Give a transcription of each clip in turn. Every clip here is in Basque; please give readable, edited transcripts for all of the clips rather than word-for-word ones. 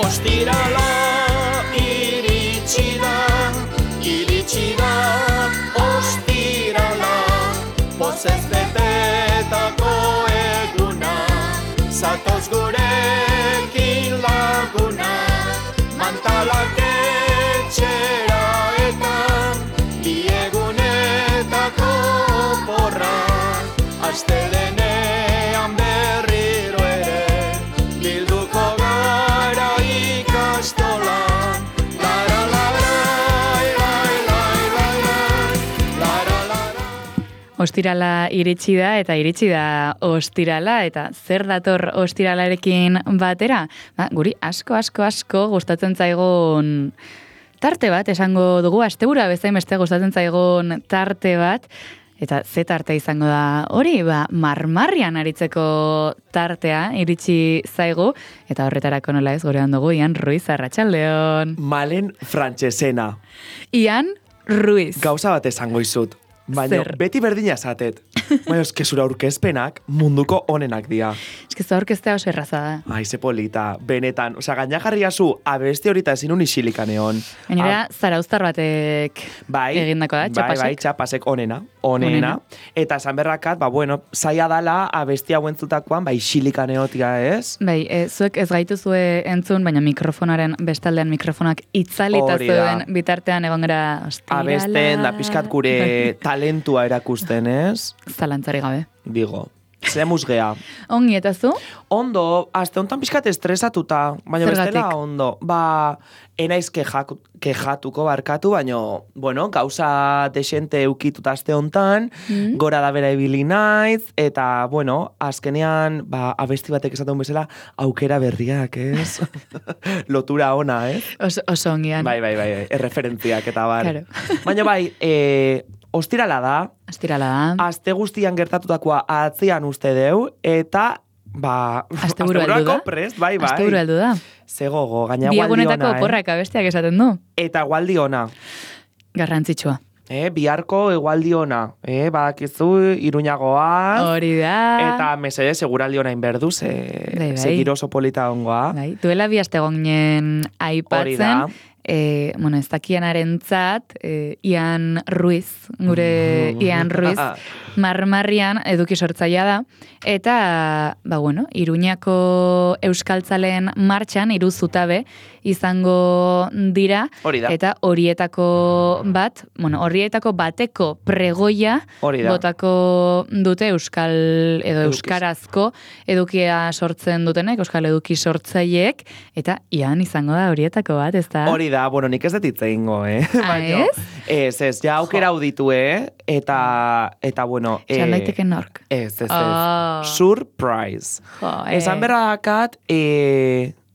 Ostirala iritsi da, ostirala, pozez betetako eguna, zatoz gurekin laguna, mantalak etxera eta biegunetako porra, astelenean berriro ere, bilduko gara ikastola. Ostirala iritsi da ostirala, eta zer dator ostiralarekin batera? Guri asko gustatzen zaigun tarte bat, esango dugu, astebura bezain beste gustatzen zaigun tarte bat, eta ze tarte izango da hori, marmarrian aritzeko tartea iritsi zaigu, eta horretarako nola ez gorean dugu, Ian Ruiz, arratsaldeon. Malen Frantsesena. Ian Ruiz. Gauza bat esango izut. Baina, beti berdina esatet. Baina, zura aurkezpenak munduko onenak dira. Zura aurkeztea oso erraza da. Ai, ze polita, benetan. Gaina jarriazu, abesti horita ezin unixilikan egon. Gainera, zarauztar batek egindako da, txapasek. Bai, txapasek onena. Eta esan berrakat, zaila dala abesti hauen zutakoan, xilikan egotia, ez? Bai, zuek ez gaituzue entzun, baina mikrofonaren, bestaldean mikrofonak itzalita zuen bitartean egon gara ostirala. Abesten, da pixkat gure talentua erakusten, ez? Zalantzari gabe. Digo, ze musgea. Ongi, eta zu? Ondo, azte hontan pixkat estresatuta, baina bestela ondo. Enaiz kejatuko barkatu, baina, gauza desente eukituta azte hontan, gora da bera ibili naiz, eta, azkenean, abesti batek esaten bezala, aukera berriak, ez? Lotura ona, ez? Oso ongian. Bai, erreferentziak eta bar. Claro. Baina ostirala da. Aste guztian gertatutakoa atzean uste deu, eta asteburako prest, bai. Asteburu heldu da. Zegogo, gaina gualdi ona. Biagunetako porrak abestiak esaten du. Eta gualdi ona. Garrantzitsua. Biharko egualdi ona. Badakizu, Iruñagoa. Hori da. Eta mesede seguraldi ona inberdu, segiro oso polita ongoa. Duela bi aste ginen aipatzen. Hori da. Ez dakianaren zat, Ian Ruiz, gure Ian Ruiz, marmarrian eduki sortzaia da, eta, Iruñako euskaltzaleen martxan, 3 zutabe, izango dira, eta horietako bateko pregoia botako dute euskarazko edukia sortzen dutenek, euskal eduki sortzaileek, eta Ian izango da horietako bat, ez da? Hori da, nik ez dut itzegingo, Ez, ja aukera auditu, eta, Esan daiteke nork. Ez. Surprise. Esan berradakat,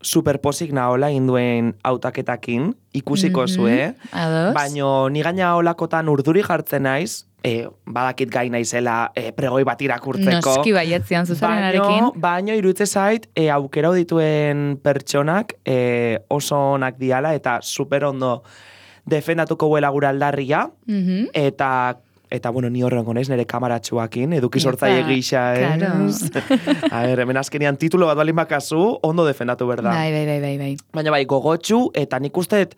superposik nahola induen autaketakin, ikusiko zue, baina ni gaina holakotan urduri jartzen naiz, badakit gai naizela pregoi bat irakurtzeko. Noski baietzian zuzarenarekin. Baina iruditze zait, aukera dituen pertsonak oso onak diala, eta super ondo defendatuko buela gure aldarria, eta ni horrengo naiz nire kamaratxuakin, eduki sortzaile gisa, ez? A ber, hemen azkenean titulo bat balin bakazu, ondo defendatu berda. Bai. Baina gogotxu, eta nik usteet,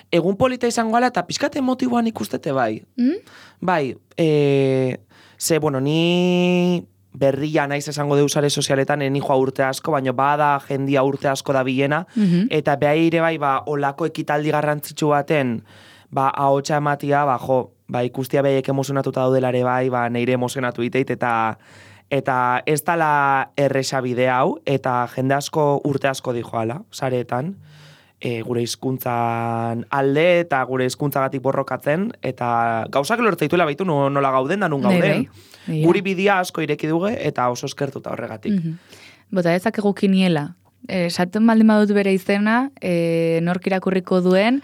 egun polita izango ala, eta pixkat emotiboan ikustete bai. Bai, ni berria naiz esango deusare sozialetan, eni joa urte asko, baina bada jendia urte asko da bilena, eta behaire bai, olako ekitaldi garrantzitsu baten, ahotsa ematia, ikustia behiek emozionatuta daudelare bai, neire emozionatu iteit, eta ez dala erresa bide hau, eta jende asko urte asko dijoala, sareetan, gure hizkuntzan alde eta gure hizkuntzagatik borrokatzen, eta gauzak lortzeituela baitu nola gauden da nun gauden. Guri bidea asko ireki duge, eta oso eskertuta horregatik. Bota ezak egukiniela. Esaten baldin badut bere izena, nork irakurriko duen,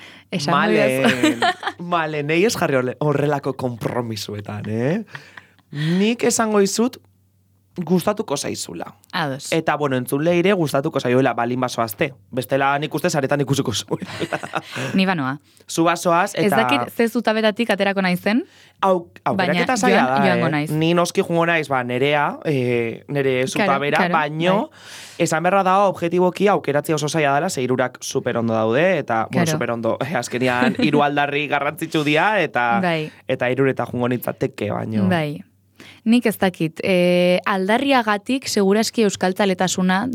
Malen, nahi ez jarri horrelako kompromisuetan, Nik esango izut, gustatuko zaizula. Ados. Eta, bueno, entzule ere gustatuko zaioela balin basoazte. Bestela nik uste zaretan ikusiko zuela. Ni banoa. Zu basoaz, eta... Ez dakit ze zutabetatik aterako naizen, aukeraketa zaila da, joango naiz. Ni noski jungo naiz, nerea, nere zutabera, baino, esan berra da, objetiboki aukeratzea oso zaila dela, ze hirurak super ondo daude, eta, bueno, super ondo, azkenian hiru aldarri garrantzitsu dira, eta hirureta jungo nitzateke, baino. Bai. Nik ez dakit, aldarriagatik seguraski euskaltzaletasuna,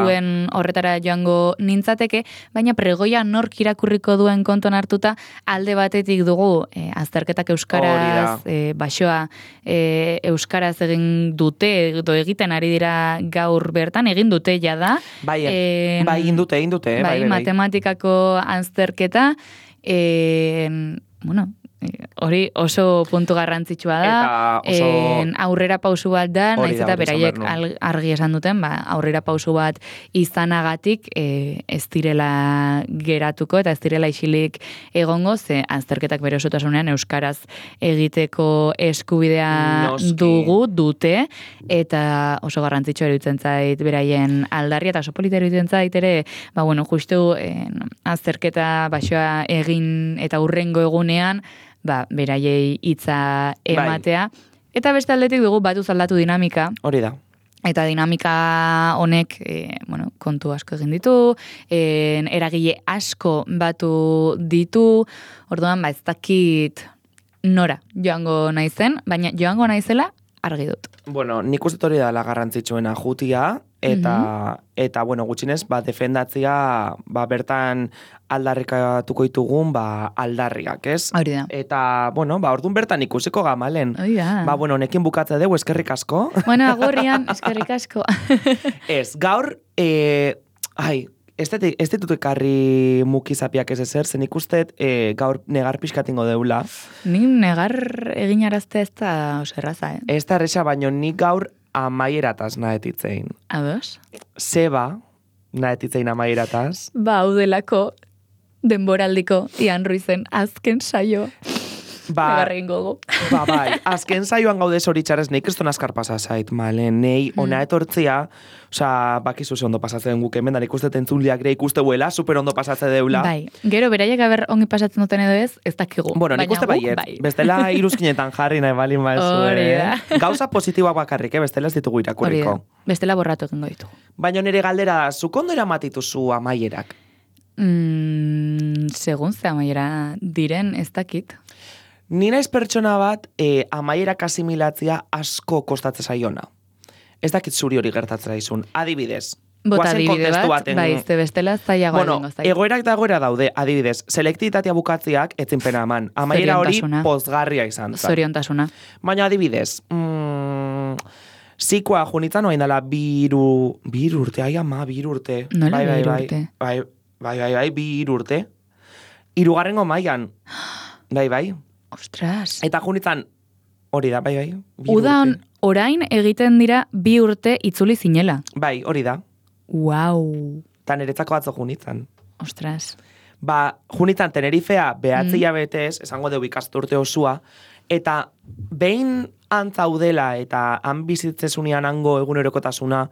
zuen horretara joango nintzateke, baina pregoia nork irakurriko duen konton hartuta, alde batetik dugu azterketak euskaraz, basoa euskaraz egin dute, edo egiten ari dira gaur bertan, egin dute jada. Bai, egin dute. Bai, matematikako azterketa, bueno, hori oso puntu garrantzitsua da, aurrera pausu bat da, naiz eta beraiek argi esan duten, aurrera pausu bat izanagatik ez direla geratuko eta ez direla isilik egongo, ze azterketak bere osotasunean euskaraz egiteko eskubidea dute, eta oso garrantzitsua iruditzen zait beraien aldarria, eta oso polita iruditzen zait ere, justu azterketa basoa egin eta hurrengo egunean, beraiei hitza ematea. Eta beste aldetik dugu batuz aldatu dinamika. Hori da. Eta dinamika honek, kontu asko egin ditu, eragile asko batu ditu, orduan, ez dakit nora joango naizen, baina joango naizela argi dut. Bueno, nik uste hori da la garrantzitsuena jutia, eta gutxinez, defendatzia, bertan aldarrikatuko ditugun, aldarriak, ez? Hori da. Eta, orduan bertan ikusiko gamalen. Hori da. Honekin bukatze dugu, eskerrik asko. Agorrian, eskerrik asko. Ez, gaur, ez ditut ekarri mukizapiak ez ezer, zen ikustet gaur negar pixkatingo deula. Ni negar egin arazte ez da oserraza, Ez da erresa, baino nik gaur amaierataz nahetitzein. Ados? Zeba nahetitzein amaierataz. Haudelako denboraldiko Ian Ruizen azken saio. Negarregin gogo. Bai, azken saioan gaude zoritxarez nik kriston askar pasazait, nei ona etortzia, bakizu ze ondo pasatzen guk hemen, da ikustet entzunliak ere ikuste buela, super ondo pasatze deula. Bai, gero beraiek aber ongi pasatzen duten edo ez dakigu. Bueno, nik uste baiet, bestela iruzkinetan jarri nahi balin baizue. Gauza positiboak bakarrik, bestela ez ditugu irakurriko. Bestela borratu egingo ditugu. Baina nire galdera, zuk ondo eramatituzu amaierak? Segun ze amaiera diren, ez dakit. Ni naiz pertsona bat amaierak asimilatzia asko kostatzen zaiona. Ez dakit zuri hori gertatzen izun. Adibidez. Bota adibide bat, ze bestela zaiagoa egingo zait. Egoerak da egoera daude, adibidez. Selektitatea bukatziak etzin pena eman. Amaiera hori pozgarria izan. Zoriontasuna. Baina adibidez, zikoa junitzen oain dela biru urte, biru urte. Nola biru urte? Bai, biru urte. Hirugarrengo mailan. Bai. Ostras. Eta junitzen, hori da, bai. Udan, orain egiten dira 2 urte itzuli zinela. Bai, hori da. Wow. Ta niretzako atzo junitzen. Ostras. Junitzen Tenerifea behatzia betez, esango deu ikasturte osua, eta behin antzaudela eta han bizitzezunean hango egunerokotasuna,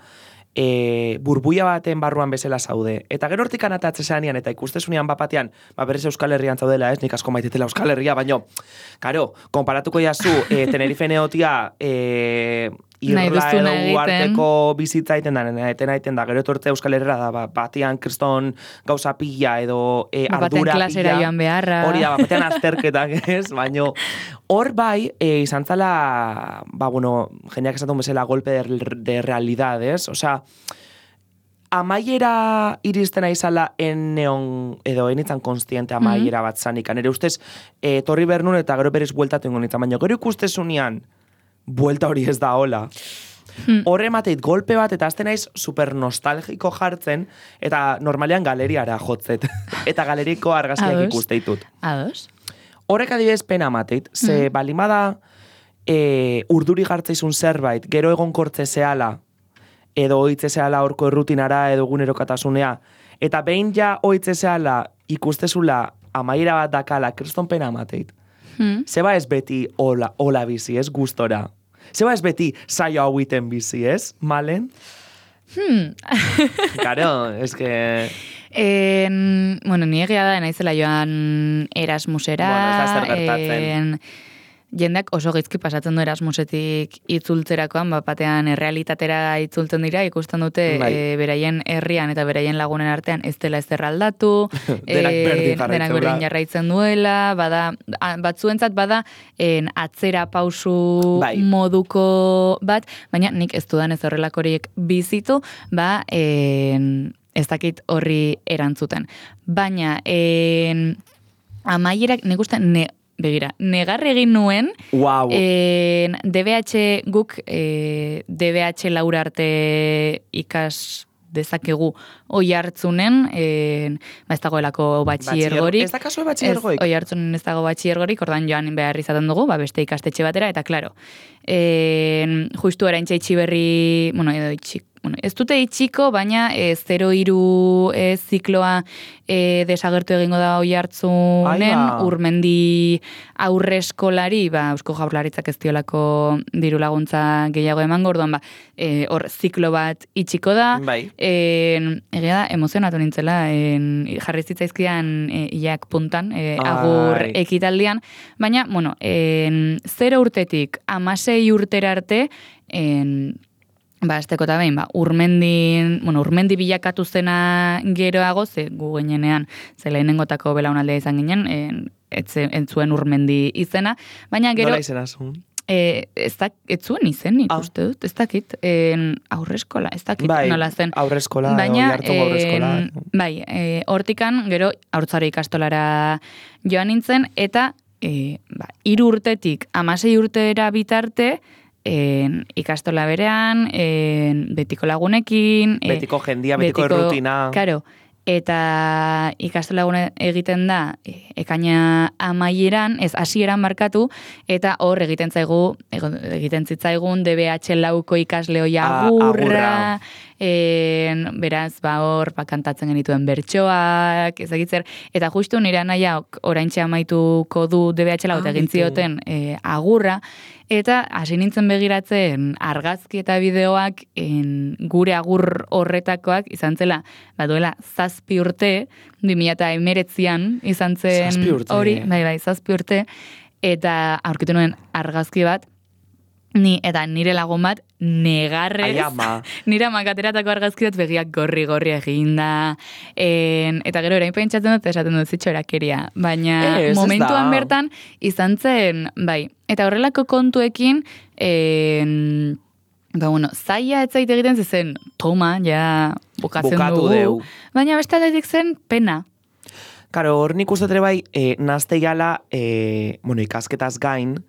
burbuia baten barruan bezala zaude. Eta gero hortik anatatzezanean eta ikustezunean bapatean, berez Euskal Herrian zaudela, ez, nik asko maitetela Euskal Herria, baino, karo, konparatuko jazu, Tenerife neotia, irla edo guarteko bizitza iten da, gero etortzea Euskal Herria da, batean kriston gauza pila edo ardura pila. Klasera joan beharra. Hori da, batean azterketak, ez, baino, hor bai, izan zala, jendeak esatun bezala golpe de realidad, ez? Osea, amaiera iristen aizala eneon, edo enitzan konstiente amaiera bat zanikan. Ere ustez, torri bernun eta gero berez bueltatu ingo nintzen, baina gero ikustezunean, buelta hori ez da hola. Horre mateit golpe bat, eta azten naiz super nostalgiko jartzen, eta normalean galeriara jotzet. Eta galeriko argazkiak ikusteitut. Ados. Horrek adibidez pena mateit, ze balimada urduri jartzeizun zerbait, gero egon kortze zehala, edo oitze zehala horko errutinara, edo egunerokasunea, eta behin ja oitze zehala ikustezula amaiera bat dakala, kriston pena mateit. Zeba ez beti hola bizi, ez gustora. Zeba ez beti saio hauiten bizi, ez? Malen? Karo, es que... Bueno, ni egia da, naizela joan Erasmusera. Bueno, ez da zer gertatzen. Jendeak oso gaizki pasatzen du Erasmusetik itzultzerakoan, batean errealitatera itzultzen dira, ikusten dute beraien herrian eta beraien lagunen artean ez dela ezer aldatu, denak berdin jarraitzen duela, batzuentzat bada atzera pausu moduko bat, baina nik ez dudan ez horrelakoriek bizitu, ez dakit horri erantzuten. Baina, amaierak, nik uste, begira, negar egin nuen, DBH guk, DBH Laura arte ikas dezakegu oi hartzunen, ez dagoelako batxiergorik. Ez da kasue batxiergoik? Oi hartzunen ez dago batxiergorik, ordan joan behar izaten dugu, beste ikastetxe batera, eta klaro, justu eraintxe itxiberri, edo itxik, ez dute itxiko, baina 0-3 zikloa desagertu egingo da oi hartzunen, Urmendi aurreskolari, Eusko Jaurlaritzak ez diolako diru laguntza gehiago emango, orduan hor ziklo bat itxiko da, egia da, emozionatu nintzela, jarri zitzaizkidan iak puntan, agur ekitaldian, baina, 0 urtetik 16 urtera arte, azteko eta behin, urmendi bilakatu zena geroago, ze gu ginenean, ze lehenengotako belaunaldea izan ginen, entzuen urmendi izena, baina gero... Nola izena zuen? Ez zuen izen, ikuste dut, ez dakit, aurreskola, ez dakit nola zen. Aurreskola, baina, oihartzungo aurreskola. hortikan, gero, haurtzaro ikastolara joan nintzen, eta 3 urtetik 16 urtera bitarte, ikastola berean, betiko lagunekin, betiko jendia, betiko errutina. Karo, eta ikastola lagune egiten da ekaina amaieran, ez hasieran markatu, eta hor egiten zitzaigun DBH lauko ikasleo agurra, beraz, hor kantatzen genituen bertsoak, ezagitzer, eta justu nire anaiak oraintxe amaituko du DBH lau, eta egin zioten agurra, eta hasi nintzen begiratzen argazki eta bideoak gure agur horretakoak izan zela, duela 7 urte, 2019an izan zen hori, 7 urte, eta aurkitu nuen argazki bat, eta nire lagun bat negarrez, nire amakateratako argazki bat begiak gorri eginda, eta gero erain pentsatzen dut, esaten dut zitxorakeria, baina momentuan bertan izan zen, eta horrelako kontuekin, zaila ez zait egiten zen, toma, ja bukatzen dugu, baina beste aldetik zen pena. Karo, hor nik uste bai, nazteiala, ikasketaz gain,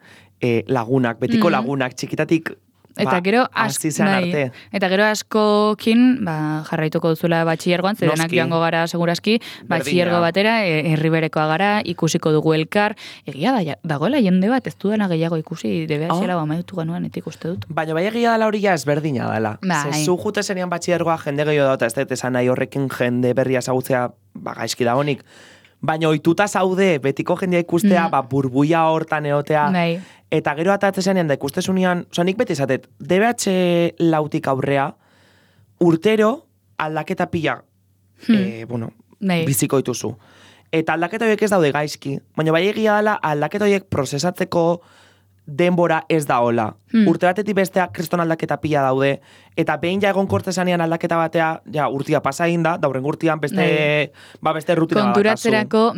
lagunak, betiko lagunak, txikitatik eta gero arte. Eta gero askokin jarraituko duzula batxillergoan, zedenak joango gara seguraski, batxillergo batera, herriberekoa gara, ikusiko dugu elkar, egia dagoela jende bat, ez dudana gehiago ikusi, DBH-la amaitu ganuan, etik uste dut. Baina egia dela hori ja ezberdina dela. Zu jute zenian batxillergoa jende gehiago da, ez dut esan nahi horrekin jende berria ezagutzea gaizki dagonik. Baina ohituta zaude, betiko jendea ikustea, burbuia hortan eotea, eta gero atatzezanean da ikustezunean, nik beti esatet, DBH lautik aurrea, urtero aldaketa pila, biziko dituzu. Eta aldaketa horiek ez daude gaizki, baina bai egia dela aldaketa horiek prozesatzeko denbora ez da hola. Urte batetik bestea kriston aldaketa pila daude, eta behin ja egon kortesanean aldaketa batea, urtia pasa egin da, dauren urtian beste rutina konturatzerako,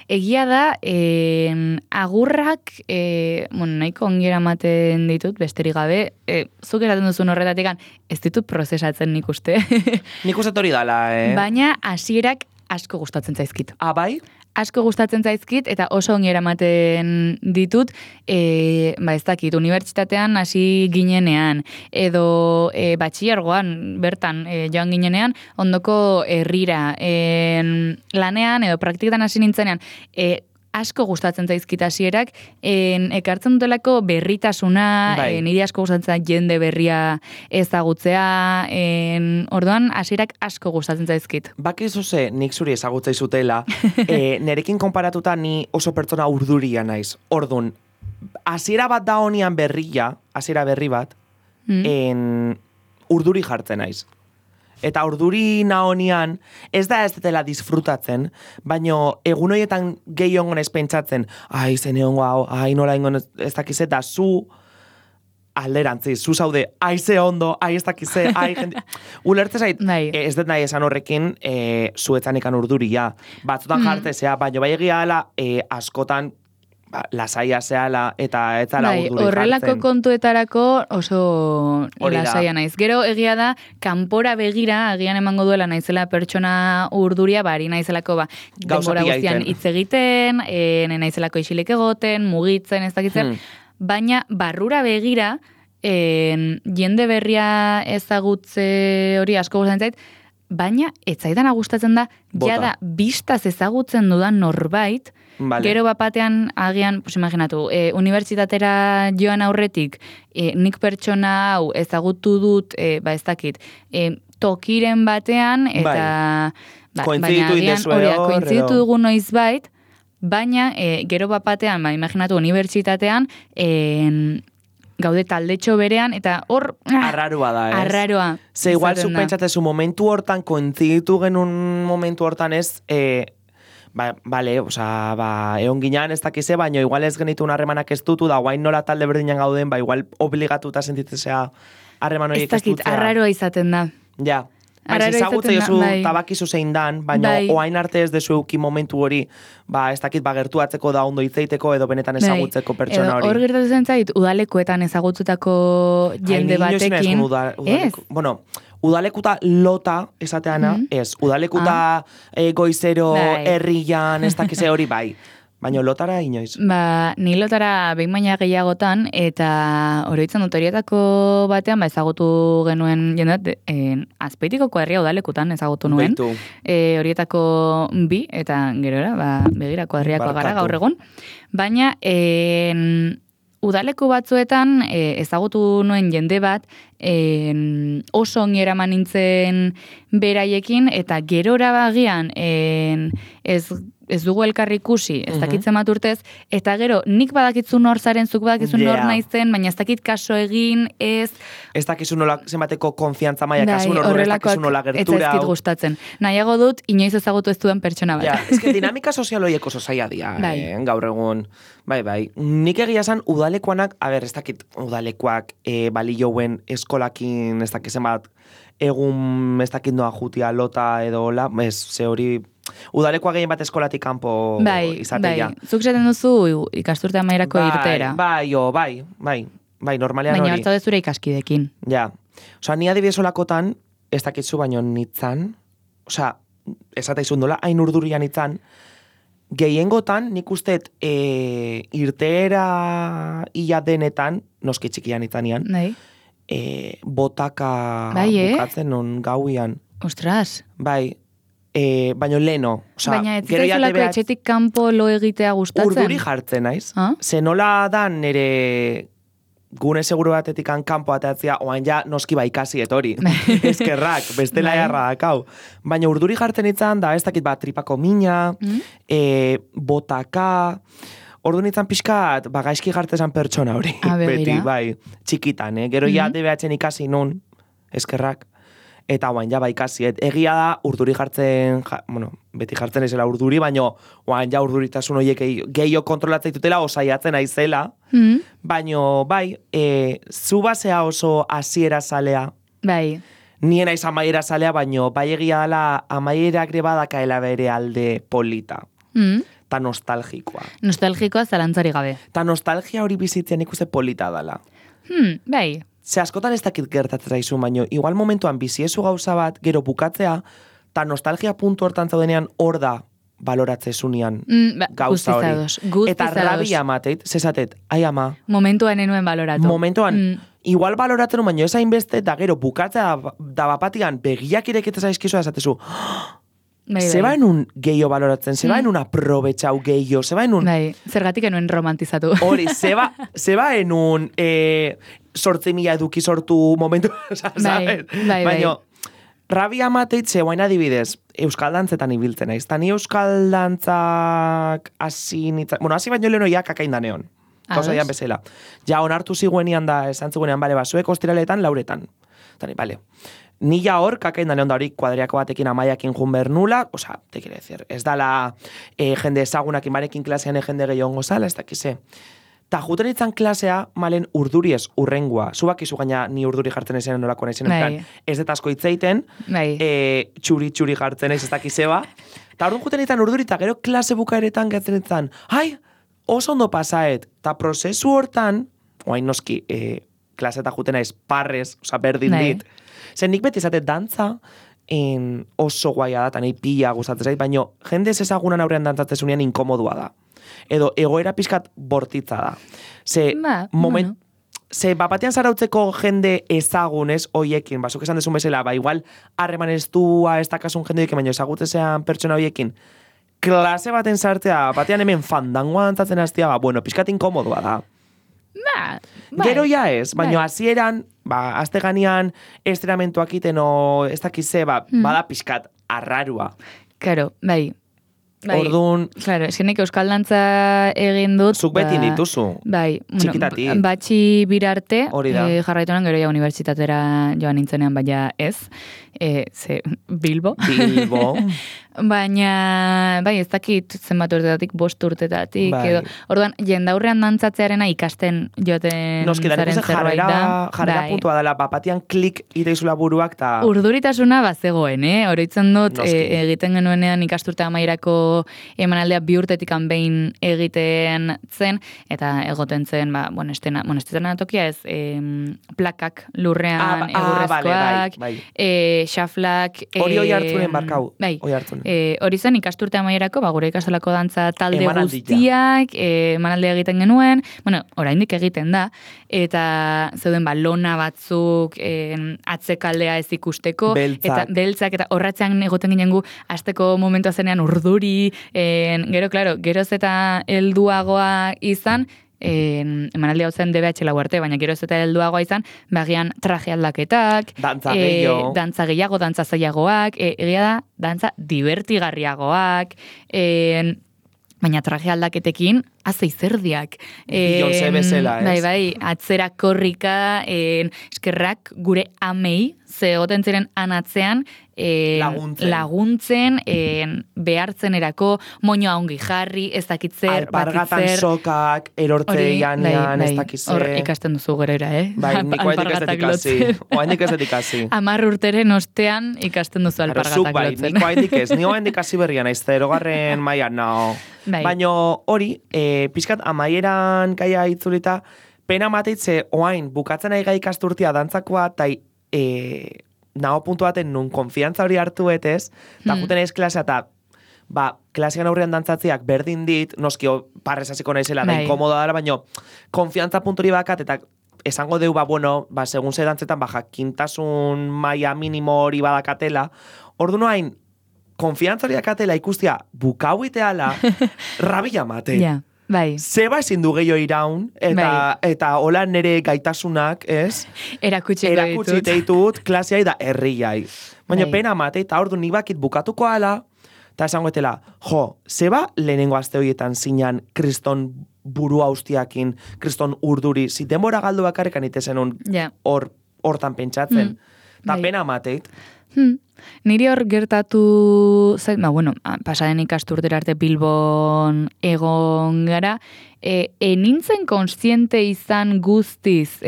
egia da, agurrak, nahiko ongera ematen ditut, besterik gabe, zuk eraten duzun horretatik, ez ditut prozesatzen nik uste. Nik uste hori dala, Baina hasierak asko gustatzen zaizkit. Bai? Asko gustatzen zaizkit, eta oso ongi eramaten ditut, ez dakit, unibertsitatean hasi ginenean, edo batxillergoan bertan joan ginenean, ondoko herrira lanean, edo praktiketan hasi nintzenean, asko gustatzen zaizkit hasierak, ekartzen dutelako berritasuna, niri asko gustatzen jende berria ezagutzea, orduan hasierak asko gustatzen zaizkit. Bakizu ze, nik zuri ezagutzea izutela, nerekin konparatuta ni oso pertsona urduria naiz. Orduan, hasiera bat da honian hasiera berri bat, urduri jartzen naiz. Eta urduri naonian, ez dela disfrutatzen, baino egun horietan gehi ongon ez pentsatzen, zen egongo hau, nola ingon ez dakize, da zu alderantzi, zu zaude, ze ondo, ez dakize, jende... Ulertze zait, ez dut nahi esan horrekin, zuetzan ikan urduria. Batzutan jartzea, baino bai egia dela, askotan, lasaia zehala eta etzala urduri jartzen. Horrelako kontuetarako oso lasaia naiz. Gero egia da, kanpora begira, agian emango duela naizela pertsona urduria, bari naizelako denbora guztian hitz egiten, naizelako isilik egoten, mugitzen, ez dakitzen, baina barrura begira, jende berria ezagutze hori asko gustatzen zait, baina ez zaidan gustatzen da, jada bistaz ezagutzen dudan norbait, gero bapatean agian, pues imaginatu, unibertsitatera joan aurretik, nik pertsona hau ezagutu dut, ez dakit, tokiren batean, eta baina agian kointziditu dugu noizbait, baina gero bapatean, imaginatu, unibertsitatean, gaude taldetxo berean, eta hor... Arraroa da, ez? Arraroa. Ze igual zu pentsatzezu momentu hortan, kointziditu genuen momentu hortan ez, bale, egon ginean ez dakize, baina igual ez genitu harremanak ez dutu, da guain nola talde berdinan gauden, igual obligatuta sentitzea harreman horiek ez dutzea. Ez dakit, arraroa izaten da. Ja. Ez ezagutze jozu tabakizu zein dan, baina oain arte ez dezu euki momentu hori, ez dakit gertuatzeko da ondo hitzeiteko edo benetan ezagutzeko pertsona hori. Hor gertatzen zait, udalekuetan ezagutzutako jende batekin. Bueno, udalekuta lota esateana, ez. Udalekuta goizero herrian, ez dakize hori bai. Baina lotara inoiz. Ni lotara behin baina gehiagotan, eta oroitzen dut horietako batean, ezagutu genuen jendeat, Azpeitikoko herria udalekutan ezagutu nuen. Horietako bi, eta gerora, begirako herriako gara gaur egun. Baina, udaleku batzuetan ezagutu nuen jende bat, oso ongi eraman nintzen beraiekin, eta gerora bagian ez dugu elkarri ikusi, ez dakitzen bat urtez, eta gero nik badakitzu nor zaren, zuk badakitzu nor naizen, baina ez dakit kaso egin, ez dakizu nola zenbateko konfiantza maia kasu, ez dakizu nola gertura. Ez ezkit gustatzen. Nahiago dut, inoiz ezagutu ez duen pertsona bat. Ez que dinamika sozial horiek oso zaila dia, gaur egun. Bai. Nik egia esan udalekuanak, ez dakit udalekuak balioen eskolakin, ez dakizen bat, egun ez dakit noa jutia lota edo hola, ze hori... Udalekoa gehien bat eskolatik kanpo izatea. Zuk zaten duzu ikasturte amaierako irtera. Bai, normalean hori. Baina hartza dezure ikaskidekin. Ja. Osa, ni adibidez olakotan, ez dakitzu baino nitzan, osa, esateizun dola, hain urdurian nitzan, gehiengotan nik usteet irtera ia denetan, noski txikian nitzanean, botaka bukatzen non gauian. Ostras. Bai, baina leno. Baina ez zaizulako etxetik kanpo lo egitea gustatzen? Urduri jartzen naiz. Zenola da nire gune seguru batetik kanpo ateatzea, oain ja noski ikasi etori. Eskerrak, bestela jarra dakau. Baina urduri jartzen itzan, da ez dakit tripako mina, botaka... Ordu nintzen pixkat, gaizki jartzezan pertsona hori. Beti, bai, txikitan, Gero ja DBH-en ikasi nun, eskerrak. Eta oain ja ikasi. Egia da, urduri jartzen, beti jartzen ezela urduri, baina oain ja urduritasun horiek gehiago kontrolatzen ditutela, osaiatzen aizela. Baina, bai, zu basea oso hasiera zalea. Bai. Nien aiz amaiera zalea, baina bai egia dela amaiera grebadakaela bere alde polita. Ta nostalgikoa. Nostalgikoa zalantzari gabe. Ta nostalgia hori bizitzen ikuste polita dela. Bai. Ze askotan ez dakit gertatzen zaizu, baino, igual momentuan biziezu gauza bat, gero bukatzea, ta nostalgia puntu hortan zaudenean hor da baloratzezunean gauza hori. Eta rabia amateit, zezatet, ai ama. Momentuan enuen baloratu. Momentuan, igual baloratzen baino ez hainbeste, da gero bukatzea da bapatian begiak ireketzen zaizkizu da esatezu, zeba enun gehiago baloratzen, zeba enun aprobetxau gehiago, zeba enun... Zergatik enuen romantizatu. Hori, zeba enun 8.000 eduki sortu momentu, baina rabia mateit zeuain adibidez, euskal dantzetan ibiltzen naiz. Tani euskal dantzak hasi baino leheno ja kakain daneon. Gauza Ados. dian bezala. Ja, onartu ziguenian da, esan ziguenean, bale, zuek ostiraletan, lauretan. Tani, bale. Ni ja hor, kakain da neon da hori kuadriako batekin amaiakin jun behar nula, oza, te quiere decir, ez dala jende ezagunakin barekin klasean jende gehiago zala, ez dakize. Ta juten itzan klasea, malen urduriez urrengua. Zubak izu gaina ni urduri jartzen ezen nolako naizen, ez dut asko hitzeiten, txuri jartzen ez dakizeba. Ta orduan juten itzan urduri, eta gero klase bukaeretan gertzen itzan, ai, oso ondo pasaet. Ta prozesu hortan, oain noski, klase eta juten naiz parrez, oza, berdin dit. Zer nik beti izate dantza, oso guaia da, eta nahi pila gustatzen zait, baina jende ez ezagunan aurrean dantzatzezunean inkomodua da. Edo egoera pixkat bortitza da. Ze batean zarautzeko jende ezagunez hoiekin, zuk esan dezun bezala, igual harreman ez dua ez dakasun jende hoiekin, baina ezagutzean pertsona hoiekin, klase baten sartzea, batean hemen fandangoa dantzatzen hastia, bueno, pixkat inkomodua da. Gero ja ez, baina hasieran, azte ganean esteramentuak iten o ez dakize, bada pixkat arrarua. Claro, bai. Orduan... Claro, eskenek euskal dantza egin dut... Zuk beti dituzu. Bai, txikitati. Batxi birarte, jarraitunan gero ja unibertsitatera joan nintzenean, baina ez. Ze, Bilbo. Baina, bai, ez dakit zenbat urtetatik, 5 urtetatik, edo, orduan, jendaurrean dantzatzearena ikasten joten zaren zerbait da. Jarrera puntua dela, bapatian klik iteizula buruak, ta... Urduritasuna bazegoen, Oroitzen dut, egiten genuenean ikasturte amairako emanaldea 2 urtetik behin egiten zen, eta egoten zen, estena tokia ez, plakak lurrean egurrezkoak, xaflak... Hori hoi hartzunen barkau, hoi hartzunen. Hori zen ikasturte amaierako, gure ikastolako dantza talde guztiak, emanaldea egiten genuen, oraindik egiten da, eta zeuden lona batzuk atzekaldea ez ikusteko, eta beltzak, eta horratzean egoten ginen gu, azteko momentua zenean urduri, gero, klaro, geroz eta helduagoa izan, emanaldi hau zen DBH lau arte, baina geroz eta helduagoa izan, bagian traje aldaketak, dantza gehiago, dantza zailagoak, egia da, dantza divertigarriagoak, baina traje aldaketekin, azei zerdiak. Beyoncé bezala, ez? Bai, atzera korrika, eskerrak gure amei, ze goten ziren anatzean, laguntzen behartzen erako, moñoa ongi jarri, ez dakitzer, alpargatan sokak, erortzeian, ez dakitzer. Hor ikasten duzu gerera, Bai, niko haindik ez ikasi. 10 urteren ostean ikasten duzu alpargatak lotzen. Niko haindik ez, nio haindik hasi berrian, ez 0. mailan, no. Baina hori, pixkat amaieran gaia itzulita, pena mateitze, oain, bukatzen ari gai ikasturtia dantzakoa, eta nago puntu baten nun konfiantza hori hartu etez, eta juten ez klasea, eta klasean aurrean dantzatziak berdin dit, noski parrez hasiko naizela, da inkomoda dara, baina konfiantza punturi bakat, eta esango deu, segun ze dantzetan, jakintasun maila minimo hori badakatela, ordu noain, konfiantza hori dakatela ikustia bukau iteala, rabia mate. Bai. Zeba ezin du gehiago iraun, eta hola nere gaitasunak, ez? Erakutsi ditut, klaseai da herriai. Baina pena mate, eta ordu nik bakit bukatuko ala, eta esango etela, zeba lehenengo aste horietan zinan kriston buru haustiakin, kriston urduri, zitenbora galdu bakarrekan itezen hortan pentsatzen. Eta pena mateit. Niri hor gertatu zait, pasaden ikasturtera arte Bilbon egon gara, nintzen konstiente izan guztiz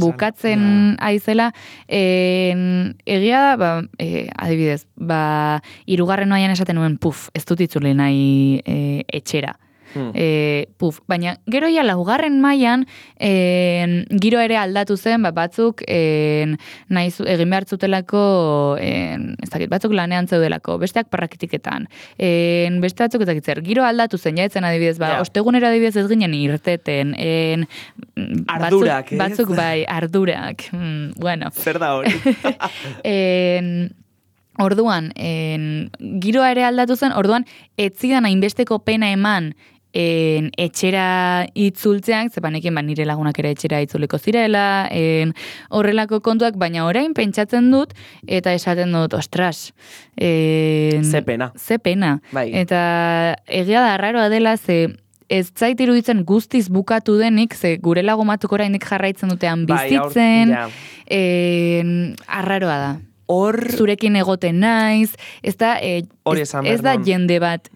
bukatzen aizela, egia da, adibidez, 3. noian esaten nuen, ez dut itzuli nahi etxera. Baina gero ja 4. mailan giro ere aldatu zen, batzuk egin behar zutelako, ez dakit, batzuk lanean zeudelako, besteak praktiketan, beste batzuk ezakitzer, giro aldatu zen, jaetzen adibidez, ostegunera adibidez ez ginen irteten, ardurak, batzuk bai, ardurak, bueno. Zer da hori? Orduan, giroa ere aldatu zen, orduan, ez zidan hainbesteko pena eman etxera itzultzeak, zepanekin nire lagunak ere etxera itzuliko zirela, horrelako kontuak, baina orain pentsatzen dut, eta esaten dut, ostras. Ze pena. Eta egia da, arraroa dela, ze ez zait iruditzen guztiz bukatu denik, ze gure lagumatuk oraindik jarraitzen dutean Bai, bizitzen, ja. arraroa da. Hor, Zurekin egoten naiz, ez da, Hori esan ez behar da nun. jende bat,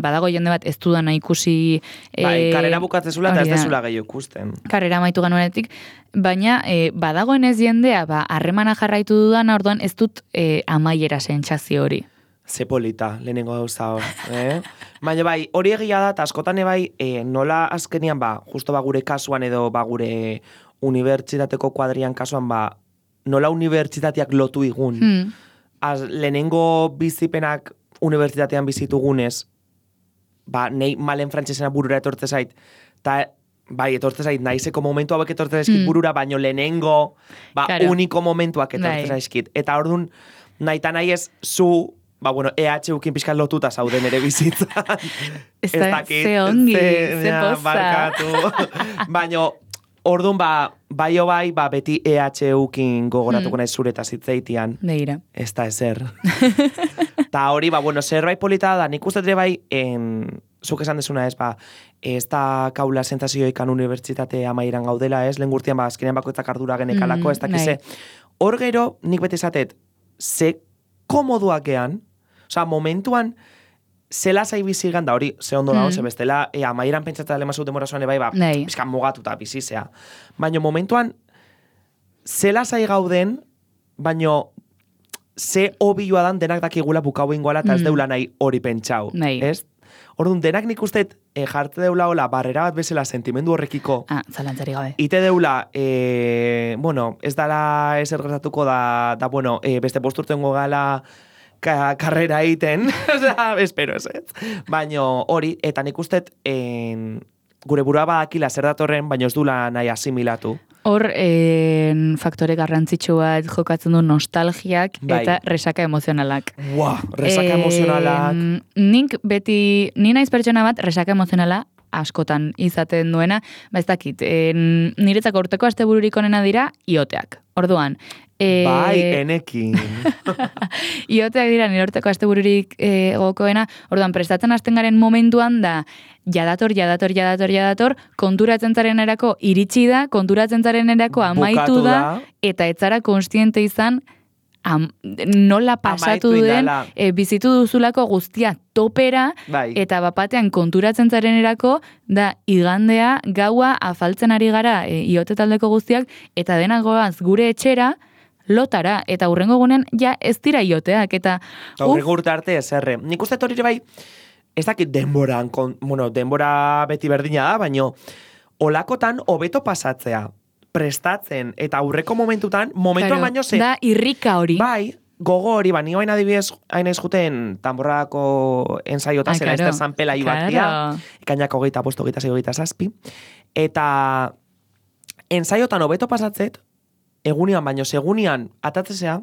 badago jende bat ez dudana ikusi... bai, karrera bukatzezula eta ez hori da. dezula gehiago ikusten. Karrera amaitu ganuenetik, baina badagoenez jendea, harremana jarraitu dudana, orduan ez dut amaiera sentsazio hori. Ze polita, lehenengo gauza hor. Baina bai, hori egia da, eta askotan bai, nola azkenian, justo gure kasuan edo gure unibertsitateko kuadrian kasuan, nola unibertsitateak lotu igun. Lehenengo bizipenak unibertsitatean bizitugunez, nei malen frantsesena burura etortze zait, eta bai, etortze zait, naizeko momentu hauek etortze zaizkit burura, baino lehenengo, Claro. uniko momentuak etortze Bai. zaizkit. Eta orduan, nahi eta nahi ez zu, EHUkin pixkan lotuta zauden ere bizitzan. Ez ze ongi, ze poza. Barkatu. Baina, orduan, bai, beti EHUkin gogoratuko nahi zure eta zitzeitian. Begira. Ez da ezer. Ta hori, zerbait polita da, nik uste dure bai, zuk esan desuna ez, ez da kaula sentazioikan unibertsitate amairan gaudela, ez, lehen gurtian, azkenean bakoitzak ardura genekalako, ez dakize. Hor gero, nik beti esatet, ze komoduak gean, momentuan, zela zai bizigan, da hori, ze ondo da, ze bestela, amairan pentsatzen lemazu demora zoan bai, pizkan mugatuta bizizea. Baina momentuan, zela zai gauden, baina ze obioa dan denak dakigula bukau ingoala, eta ez deula nahi hori pentsau. Ez? Orduan, denak nik usteet jarte deula hola, barrera bat bezala sentimendu horrekiko. Zalantzari gabe. Ite deula, ez dala ezer gertatuko da, beste posturtengo gala karrera egiten, espero ez. Baina hori, eta nik usteet gure burua badakila zer datorren, baina ez dula nahi asimilatu. Hor, faktore garrantzitsu bat jokatzen du nostalgiak eta resaka emozionalak. Resaka emozionalak. Ni naiz pertsona bat resaka emozionala askotan izaten duena, ez dakit, niretzako urteko astebururik onena dira ioteak. Orduan, enekin. Ioteak dira nire urteko astebururik gokoena, orduan, prestatzen hasten garen momentuan da, jadator, konturatzen zarenerako iritsi da, konturatzen zarenerako amaitu da, eta etzara konstiente izan, nola pasatu den, bizitu duzulako guztia topera, eta bapatean konturatzen zarenerako, da igandea, gaua, afaltzen ari gara iote taldeko guztiak, eta denak goaz gure etxera, lotara, eta hurrengo gunean, ja ez dira ioteak, eta... Hurrengo urte arte ez erre. Nik uste hori bai, ez dakit denboran, denbora beti berdina da, baino, olakotan hobeto pasatzea, prestatzen, eta aurreko momentuan baino ze... Da, irrika hori. Bai, gogo hori, ni hain adibidez, hain ez juten tamborrako ensaiota, zela ez terzan pela ibatia, ekainako 25, 26, eta ensaiotan hobeto pasatzet, egunian baino, segunian atatzesea,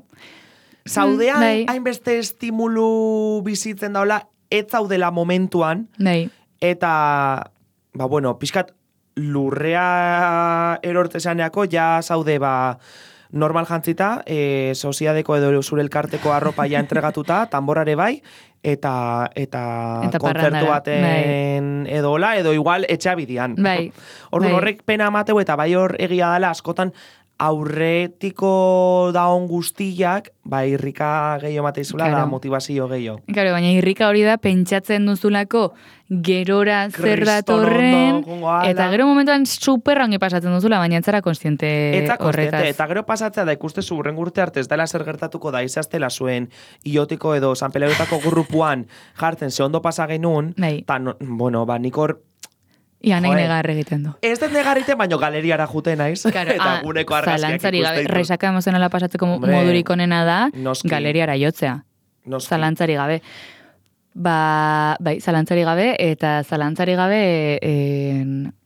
zaudean hainbeste estimulu bizitzen daula, ez zaudela momentuan, eta, pixkat, lurrea erortesaneako, ja zaude, normal jantzita, soziadeko edo zure elkarteko arropa ja entregatuta, tamborare bai, eta kontzertu baten edola, edo igual etxabidian. Orduan horrek pena amateu, eta bai hor egia dela askotan, aurretiko daon guztiak, irrika gehiago mateizula, da motivazio gehiago. Claro, baina irrika hori da pentsatzen duzulako gerora zer datorren, eta gero momentuan superrangi pasatzen duzula, baina etzara konstiente horretaz. Eta gero pasatzea da ikuste zurren urte arte ez dela zer gertatuko da izaztela zuen iotiko edo San Peleutako grupuan jartzen ze ondo pasa genuen, eta nik hor Ia nahi negar egiten du. Ez den negar egiten, baino galeriara jute naiz. Eta guneko argazkiak ikusten ditu. Resaka emozionala pasatzeko modurik onena da, galeriara jotzea. Zalantzari gabe. Zalantzari gabe, eta zalantzari gabe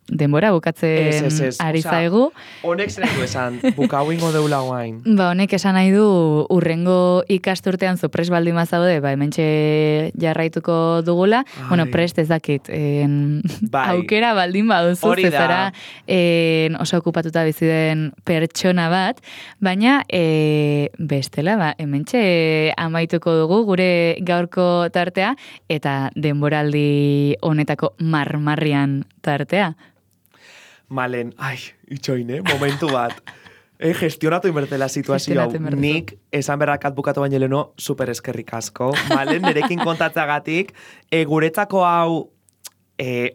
denbora bukatzen ari zaigu. Honek zer nahi du esan, bukau ingo deula guain. Ba, honek esan nahi du urrengo ikasturtean zu prest baldin bazaude, ba, hementxe jarraituko dugula. Ai. Bueno, prest ez dakit, aukera baldin baduzu, zezara oso okupatuta bizi den pertsona bat, baina bestela, ba, hementxe amaituko dugu gure gaurko tartea, eta denboraldi honetako marmarrian tartea. Malen, itxoin, momentu bat. Gestionatu inbertela situazio hau. Nik, esan berrakat bukatu baino leno, super eskerrik asko. Malen, nerekin kontatzeagatik, guretzako hau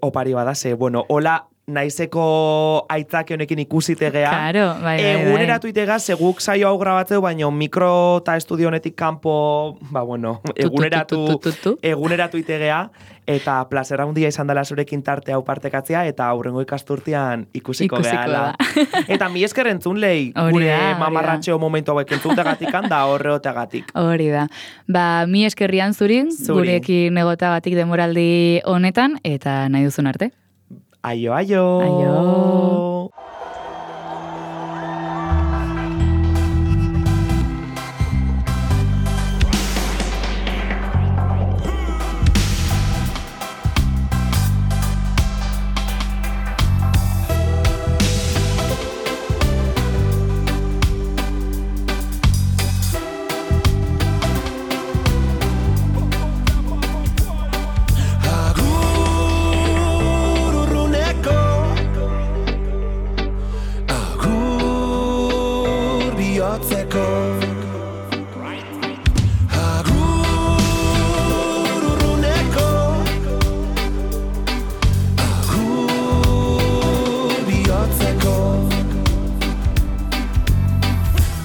opari badase, bueno, hola, naizeko aitzake honekin ikusitegea. Claro, bai. Eguneratu itegaz, seguk saio hau grabatzeu, baina mikro eta estudio honetik kanpo, ba bueno, eguneratu itegea, eta plazera handia izan dela zurekin tarte hau partekatzea, eta aurrengo ikasturtean ikusiko gehala. Eta mi esker entzun lehi, gure mamarratxeo momentu hauek entzuntegatik da horreotegatik. Hori da. Ba, mi eskerrian zurin, gurekin egotagatik denboraldi honetan, eta nahi duzun arte. Aio, aio! Aio!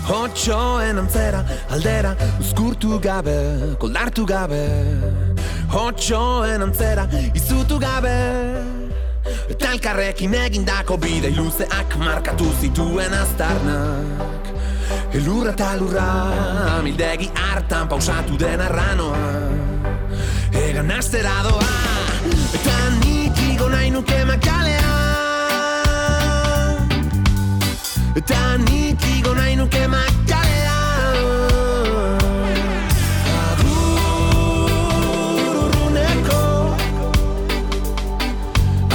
Otxoen antzera, aldera, uzkurtu gabe, koldartu gabe. Otxoen antzera, izutu gabe. Eta elkarrekin egindako bidei luzeak markatu zituen aztarnak. Elurra eta lurra, amildegi hartan pausatu den arranoa. Egan astera doa, eta nik igo nahi nuke makalea. Eta nik igo nahi nuke makalea. Agur urruneko,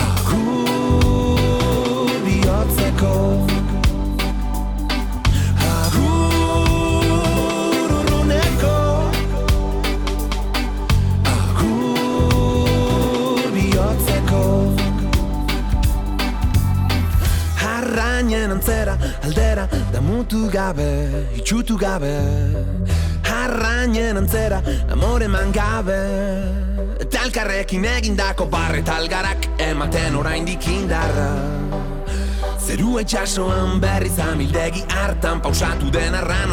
agur bihotzeko. Agur urruneko, agur bihotzeko. Harrainen antzera, aldera, damutu gabe, itxutu gabe. Harrainen antzera, amore eman gabe. Eta elkarrekin egindako barre talgarak ematen oraindik indarra. Zerua itxasoan berriz amildegi hartan pausatu den arrano.